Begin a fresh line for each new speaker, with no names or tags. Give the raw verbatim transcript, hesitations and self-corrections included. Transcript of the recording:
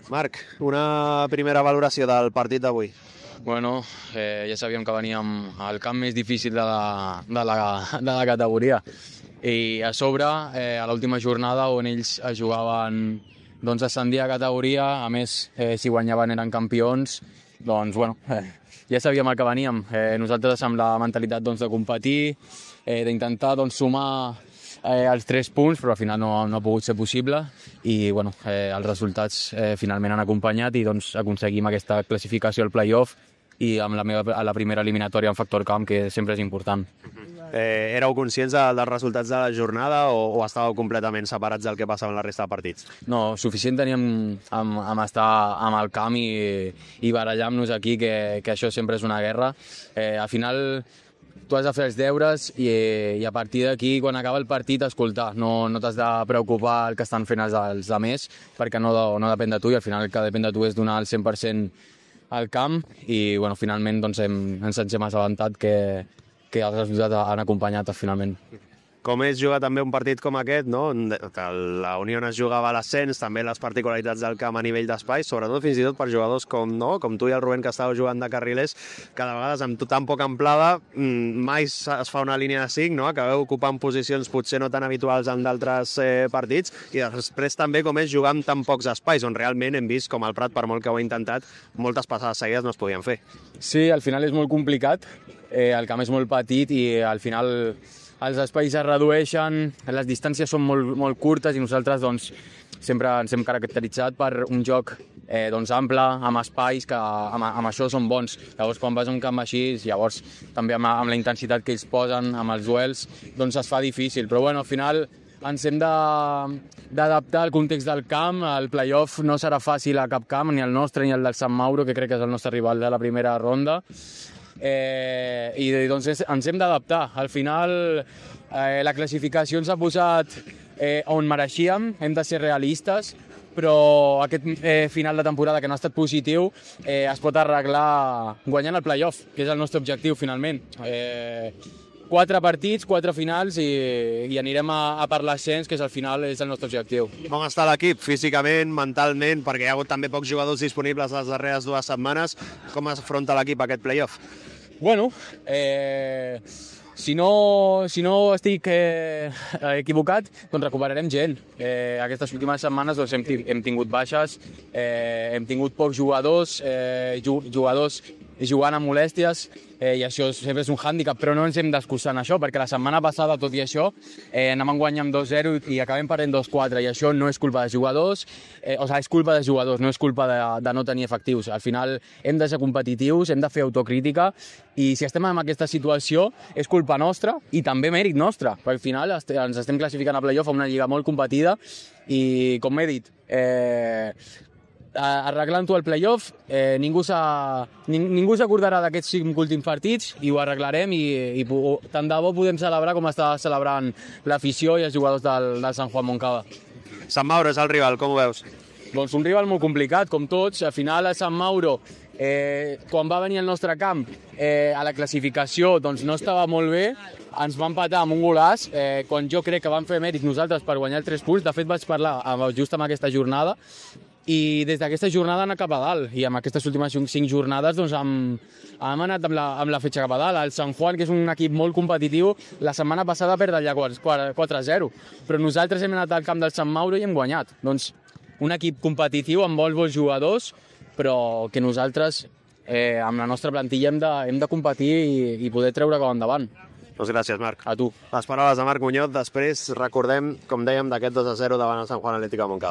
Marc, una primera valoració del partit d'avui.
Bueno, eh, ja sabíem que veníem al camp més difícil de la, de la, de la categoria i a sobre, eh, a l'última jornada on ells es jugaven doncs, ascendir a categoria, a més, eh, si guanyaven eren campions, doncs bueno, eh, ja sabíem el que veníem. Eh, nosaltres amb la mentalitat doncs, de competir, eh, d'intentar doncs, sumar eh, els tres punts, però al final no, no ha pogut ser possible i bueno, eh, els resultats eh, finalment han acompanyat i doncs, aconseguim aquesta classificació al play-off i amb la, meva, a la primera eliminatòria en factor camp, que sempre és important.
Eh, éreu conscients de, dels resultats de la jornada o, o estàveu completament separats del que passava en la resta de partits?
No, suficient teníem amb, amb estar amb el camp i, i barallar-nos aquí, que, que això sempre és una guerra. Eh, al final tu has de fer els deures i, i a partir d'aquí, quan acaba el partit, escoltar. No, no t'has de preocupar el que estan fent els, els altres, perquè no, no depèn de tu i al final el que depèn de tu és donar el cent per cent al camp i bueno, finalment doncs, hem, ens hem assabentat que, que els resultats han acompanyat finalment.
Com és jugar també un partit com aquest, no? Que la Unió es jugava a l'ascens, també les particularitats del camp a nivell d'espai, sobretot fins i tot per jugadors com, no? com tu i el Rubén, que estàveu jugant de carrilers, que de vegades amb tan poca amplada mai es fa una línia de cinc, no? Acabeu ocupant posicions potser no tan habituals en d'altres eh, partits, i després també com és jugar amb tan pocs espais, on realment hem vist com el Prat, per molt que ho ha intentat, moltes passades seguides no es podien fer.
Sí, al final és molt complicat, eh, el camp és molt petit i al final els espais es redueixen, les distàncies són molt, molt curtes i nosaltres doncs, sempre ens hem caracteritzat per un joc eh, doncs, ample, amb espais, que amb, amb això són bons. Llavors, quan vas a un camp així, llavors també amb, amb la intensitat que ells posen, amb els duels, doncs es fa difícil. Però bueno, al final ens hem d'adaptar al context del camp. El play-off no serà fàcil a cap camp, ni el nostre ni el del Sant Mauro, que crec que és el nostre rival de la primera ronda. Eh, i doncs ens hem d'adaptar. Al final eh, la classificació ens ha posat eh, on mereixíem, hem de ser realistes, però aquest eh, final de temporada que no ha estat positiu eh, es pot arreglar guanyant el play-off, que és el nostre objectiu finalment. Eh, quatre partits, quatre finals i, i anirem a, a per l'ascens, que és al final és el nostre objectiu.
Com està l'equip físicament, mentalment, perquè hi ha hagut també pocs jugadors disponibles les darreres dues setmanes? Com afronta l'equip aquest play-off?
Bueno, eh, si, no, si no estic eh, equivocat, doncs recuperarem gent. Eh, aquestes últimes setmanes doncs, hem, hem tingut baixes, eh, hem tingut pocs jugadors, eh, jugadors jugant amb molèsties, eh, i això sempre és un hàndicap, però no ens hem d'excusar en això, perquè la setmana passada, tot i això, eh, anem guanyant dos zero i acabem perdent dos quatre, i això no és culpa de jugadors, eh, o sigui, és culpa de jugadors, no és culpa de, de no tenir efectius. Al final hem de ser competitius, hem de fer autocrítica, i si estem en aquesta situació és culpa nostra i també mèrit nostre, perquè al final ens estem classificant a play-off a una lliga molt competida i, com he dit, eh, arreglant-ho al play-off, eh, ningú s'acordarà d'aquests cinc últims partits i ho arreglarem i, i tant de bo podem celebrar com està celebrant l'afició i els jugadors del, del Sant Juan Moncada.
Sant Mauro és el rival, com ho veus?
Doncs un rival molt complicat, com tots. Al final el Sant Mauro, eh, quan va venir al nostre camp eh, a la classificació, doncs no estava molt bé, ens va empatar amb un golàs, eh, quan jo crec que vam fer mèrit nosaltres per guanyar els tres punts. De fet vaig parlar just amb aquesta jornada i des d'aquesta jornada han anat cap a dalt, i amb aquestes últimes cinc jornades doncs, hem, hem anat amb la, amb la fetge cap a dalt. El Sant Juan, que és un equip molt competitiu, la setmana passada perd allà quatre zero, però nosaltres hem anat al camp del Sant Mauro i hem guanyat. Doncs un equip competitiu amb molts bons jugadors, però que nosaltres eh, amb la nostra plantilla hem de, hem de competir i, i poder treure com endavant.
Doncs gràcies, Marc.
A tu.
Les paraules de Marc Muñoz. Després recordem, com dèiem, d'aquest dos a zero davant el Sant Juan Atlético de Montcada.